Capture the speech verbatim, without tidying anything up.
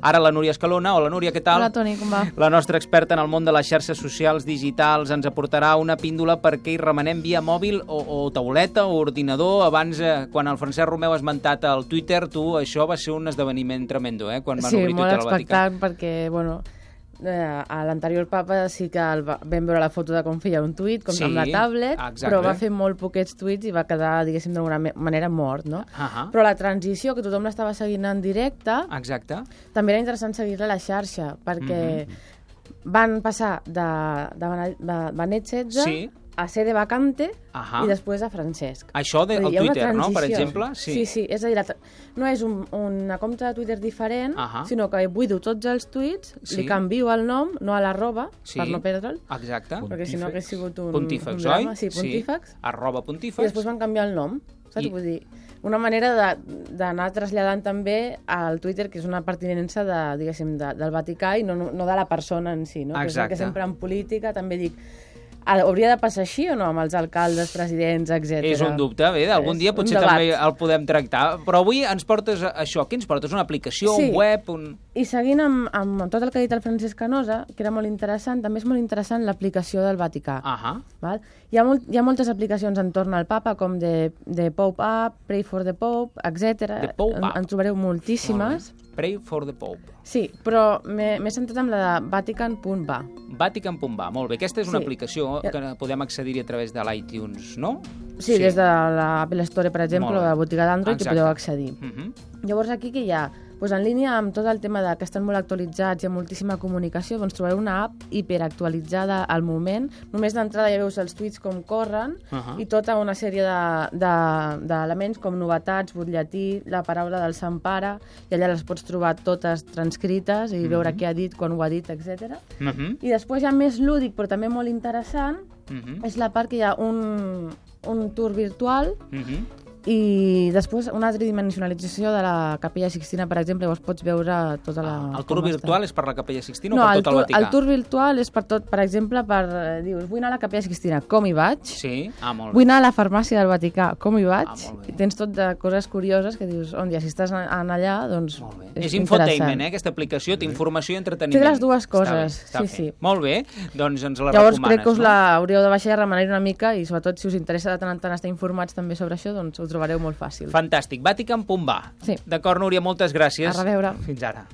Ara la Núria Escalona. Hola, Núria, què tal? Hola, Toni, com va? La nostra experta en el món de les xarxes socials digitals ens aportarà una píndola perquè hi remenem via mòbil o, o tauleta o ordinador. Abans, eh, quan el Francesc Romeu ha esmentat al Twitter, tu, això va ser un esdeveniment tremendo, eh? Quan van sí, obrir Twitter al Vaticà. Sí, molt expectant, perquè, bueno, eh, a l'anterior papa sí que el va, vam veure la foto de com feia un tuit, com sí, amb la tablet, exacte. Però va fer molt poquets tuits i va quedar, diguéssim, d'alguna manera mort, no? Uh -huh. Però la transició, que tothom l'estava seguint en directe, exacte. també era interessant seguir-la a la xarxa, perquè mm -hmm. van passar de, de, de Benet setze sí. a ser de vacante uh -huh. i després a Francesc. Això del de, Twitter, no?, per exemple? Sí, sí, sí, és a dir, la, no és un, una compte de Twitter diferent, uh -huh. sinó que buido tots els tuits, sí. li canvio el nom, no a l'arroba, sí. per no perdre'l. Exacte. Perquè si no hagués sigut un, Pontífex, un drama. oi? Sí, Pontífex. Sí. Arroba Pontífex. I després van canviar el nom, saps? I... Vull dir, una manera d'anar traslladant també al Twitter, que és una pertinença de, diguéssim, de, del Vaticà i no, no de la persona en si, no? Exacte. Que, que sempre en política també dic, hauria de passar així o no amb els alcaldes, presidents, etcètera? És un dubte, bé, algun dia potser també el podem tractar, però avui ens portes això, què ens portes? Una aplicació, sí. un web? Un... I seguint amb, amb tot el que ha dit el Francesc Canosa, que era molt interessant, també és molt interessant l'aplicació del Vaticà. Uh -huh. Val? Hi, ha molt, hi ha moltes aplicacions entorn al papa, com de, de Pope App, Pray for the Pope, etcètera. The Pope App. En, en trobareu moltíssimes. Pray for the Pope. Sí, però m'he centrat en la de Vatican punt va. Vatican punt va, molt bé. Aquesta és una sí. aplicació que podem accedir-hi a través de l'iTunes, no? Sí, sí, des de l'Apple Store, per exemple, o de la botiga d'Android, hi podeu accedir. Uh -huh. Llavors, aquí que hi ha? Pues en línia amb tot el tema de que estan molt actualitzats i ha moltíssima comunicació, doncs trobareu una app hiperactualitzada al moment. Només d'entrada ja veus els tuits com corren uh -huh. i tota una sèrie d'elements de, de, com novetats, butlletí, la paraula del Sant Pare, i allà les pots trobar totes transcrites i uh -huh. veure què ha dit, quan ho ha dit, etcètera. Uh -huh. I després ja més lúdic, però també molt interessant, uh -huh. és la part que hi ha un, un tour virtual uh -huh. i després una tridimensionalització de la Capella Sixtina, per exemple, llavors pots veure tota la... El tour virtual és per la Capella Sixtina no, o per tot el, el Vaticà? el tour virtual és per tot, per exemple, per... Eh, dius, vull anar a la Capella Sixtina, com hi vaig? Sí, ah, molt bé. Vull anar a la farmàcia del Vaticà, com hi vaig? Ah, molt bé. I tens tot de coses curioses que dius, on ja, si estàs en allà, doncs molt bé. És, és infotainment, eh, aquesta aplicació, té informació i entreteniment. Té les dues coses, està bé, està sí, sí. Molt bé, doncs ens la llavors, recomanes, crec que us no? l'hauríeu de baixar i remenar una mica i, sobretot, si us interessa de tant en tant estar informats també sobre això, doncs ho trobareu molt fàcil. Fantàstic. Vatican punt va. Sí. D'acord, Núria, moltes gràcies. A reveure. Fins ara.